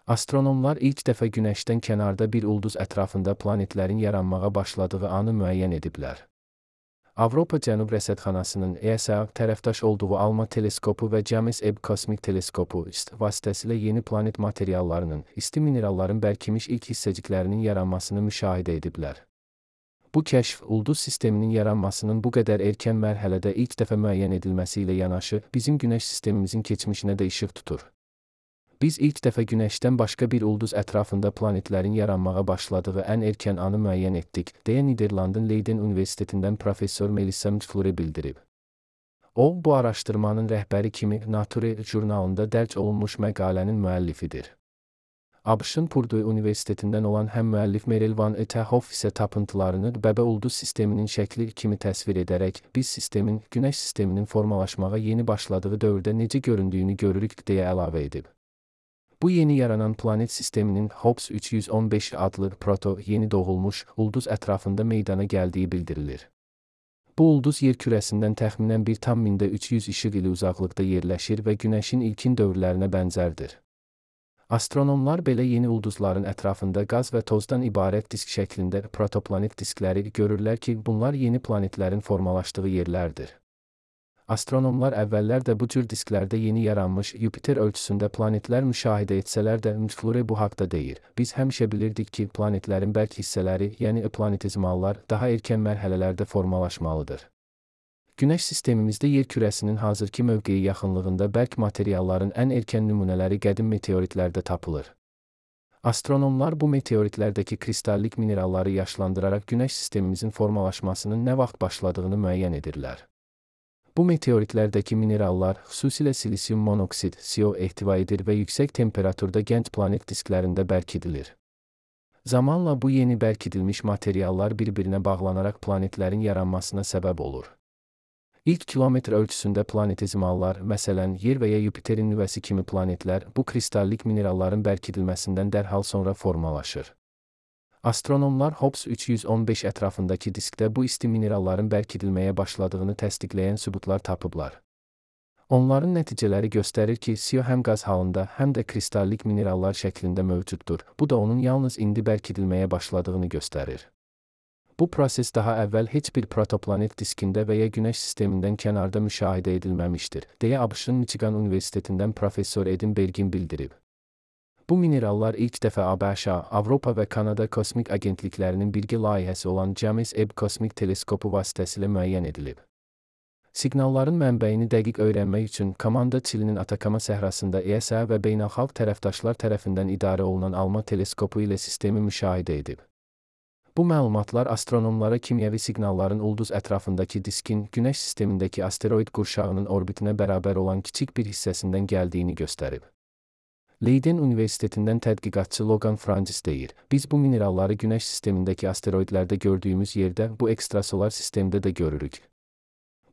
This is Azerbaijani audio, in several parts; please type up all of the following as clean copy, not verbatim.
Astronomlar ilk dəfə Günəşdən kənarda bir ulduz ətrafında planetlərin yaranmağa başladığı anı müəyyən ediblər. Avropa Cənub Rəsədxanasının ESA tərəfdaş olduğu ALMA teleskopu və James Webb Kosmik Teleskopu vasitəsilə yeni planet materiallarının, isti mineralların bərkimiş ilk hissəciklərinin yaranmasını müşahidə ediblər. Bu kəşf, ulduz sisteminin yaranmasının bu qədər erkən mərhələdə ilk dəfə müəyyən edilməsi ilə yanaşı, bizim Günəş sistemimizin keçmişinə də işıq tutur. Biz ilk dəfə Günəşdən başqa bir ulduz ətrafında planetlərin yaranmağa başladığı ən erkən anı müəyyən etdik, deyə Niderlandın Leiden Universitetindən professor Melissa Mcflure bildirib. O, bu araşdırmanın rəhbəri kimi Nature jurnalında dərc olunmuş məqalənin müəllifidir. ABŞ-ın Purdue Universitetindən olan həm müəllif Meryl Van Etterhoff isə tapıntılarını bəbə ulduz sisteminin şəkli kimi təsvir edərək, biz sistemin, Günəş sisteminin formalaşmağa yeni başladığı dövrdə necə göründüyünü görürük, deyə əlavə edib. Bu yeni yaranan planet sisteminin Hobbs 315 adlı proto-yeni doğulmuş ulduz ətrafında meydana gəldiyi bildirilir. Bu ulduz yer kürəsindən təxminən 1,300 işıq ili uzaqlıqda yerləşir və Günəşin ilkin dövrlərinə bənzərdir. Astronomlar belə yeni ulduzların ətrafında qaz və tozdan ibarət disk şəklində protoplanet diskləri görürlər ki, bunlar yeni planetlərin formalaşdığı yerlərdir. Astronomlar əvvəllər də bu cür disklərdə yeni yaranmış Yupiter ölçüsündə planetlər müşahidə etsələr də Mcflure bu haqda deyir. Biz həmişə bilirdik ki, planetlərin bərk hissələri, yəni planetizmallar, daha erkən mərhələlərdə formalaşmalıdır. Günəş sistemimizdə yer kürəsinin hazırki mövqeyi yaxınlığında bərk materialların ən erkən nümunələri qədim meteoritlərdə tapılır. Astronomlar bu meteoritlərdəki kristallik mineralları yaşlandıraraq Günəş sistemimizin formalaşmasının nə vaxt başladığını müəyyən edirlər. Bu meteoritlərdəki minerallar, xüsusilə silisium monoksid, CO ehtiva edir və yüksək temperaturda gənc planet disklərində bərkidilir. Zamanla bu yeni bərkidilmiş materiallar bir-birinə bağlanaraq planetlərin yaranmasına səbəb olur. İlk kilometr ölçüsündə planetizmallar, məsələn, Yer və ya Yupiterin nüvəsi kimi planetlər, bu kristallik mineralların bərkidilməsindən dərhal sonra formalaşır. Astronomlar Hobbs 315 ətrafındakı diskdə bu isti mineralların bərkidilməyə başladığını təsdiqləyən sübutlar tapıblar. Onların nəticələri göstərir ki, CO həm qaz halında, həm də kristallik minerallar şəklində mövcuddur. Bu da onun yalnız indi bərkidilməyə başladığını göstərir. Bu proses daha əvvəl heç bir protoplanet diskində və ya Günəş sistemindən kənarda müşahidə edilməmişdir, deyə ABŞ-ın Michigan Universitetindən professor Edin Bergin bildirib. Bu minerallar ilk dəfə ABŞ, Avropa və Kanada kosmik agentliklərinin birgə layihəsi olan James Webb Kosmik Teleskopu vasitəsilə müəyyən edilib. Siqnalların mənbəyini dəqiq öyrənmək üçün komanda Çilinin Atakama səhrasında ESA və beynəlxalq tərəfdaşlar tərəfindən idarə olunan ALMA teleskopu ilə sistemi müşahidə edib. Bu məlumatlar astronomlara kimyəvi siqnalların ulduz ətrafındakı diskin, Günəş sistemindəki asteroid qurşağının orbitinə bərabər olan kiçik bir hissəsindən gəldiyini göstərib. Leiden Universitetindən tədqiqatçı Logan Francis deyir, biz bu mineralları Günəş sistemindəki asteroidlərdə gördüyümüz yerdə, bu ekstrasolar sistemdə də görürük.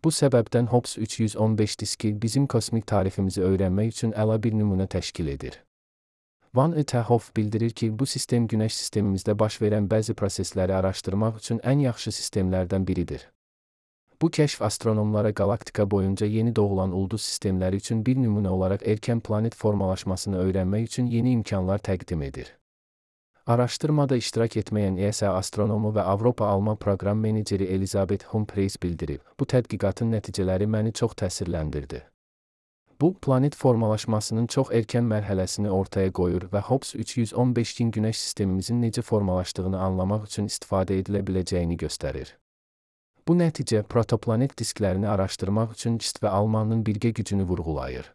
Bu səbəbdən Hobbs 315 diski bizim kosmik tariximizi öyrənmək üçün əla bir nümunə təşkil edir. Van Etterhoff bildirir ki, bu sistem Günəş sistemimizdə baş verən bəzi prosesləri araşdırmaq üçün ən yaxşı sistemlərdən biridir. Bu kəşf astronomlara qalaktika boyunca yeni doğulan ulduz sistemləri üçün bir nümunə olaraq erkən planet formalaşmasını öyrənmək üçün yeni imkanlar təqdim edir. Araşdırmada iştirak etməyən ESA astronomu və Avropa ALMA proqram meneceri Elizabeth Humphreys bildirib, bu tədqiqatın nəticələri məni çox təsirləndirdi. Bu, planet formalaşmasının çox erkən mərhələsini ortaya qoyur və Hobbs 315-in Günəş sistemimizin necə formalaşdığını anlamaq üçün istifadə edilə biləcəyini göstərir. Bu nəticə protoplanet disklərini araşdırmaq üçün JIST və ALMA-nın birgə gücünü vurğulayır.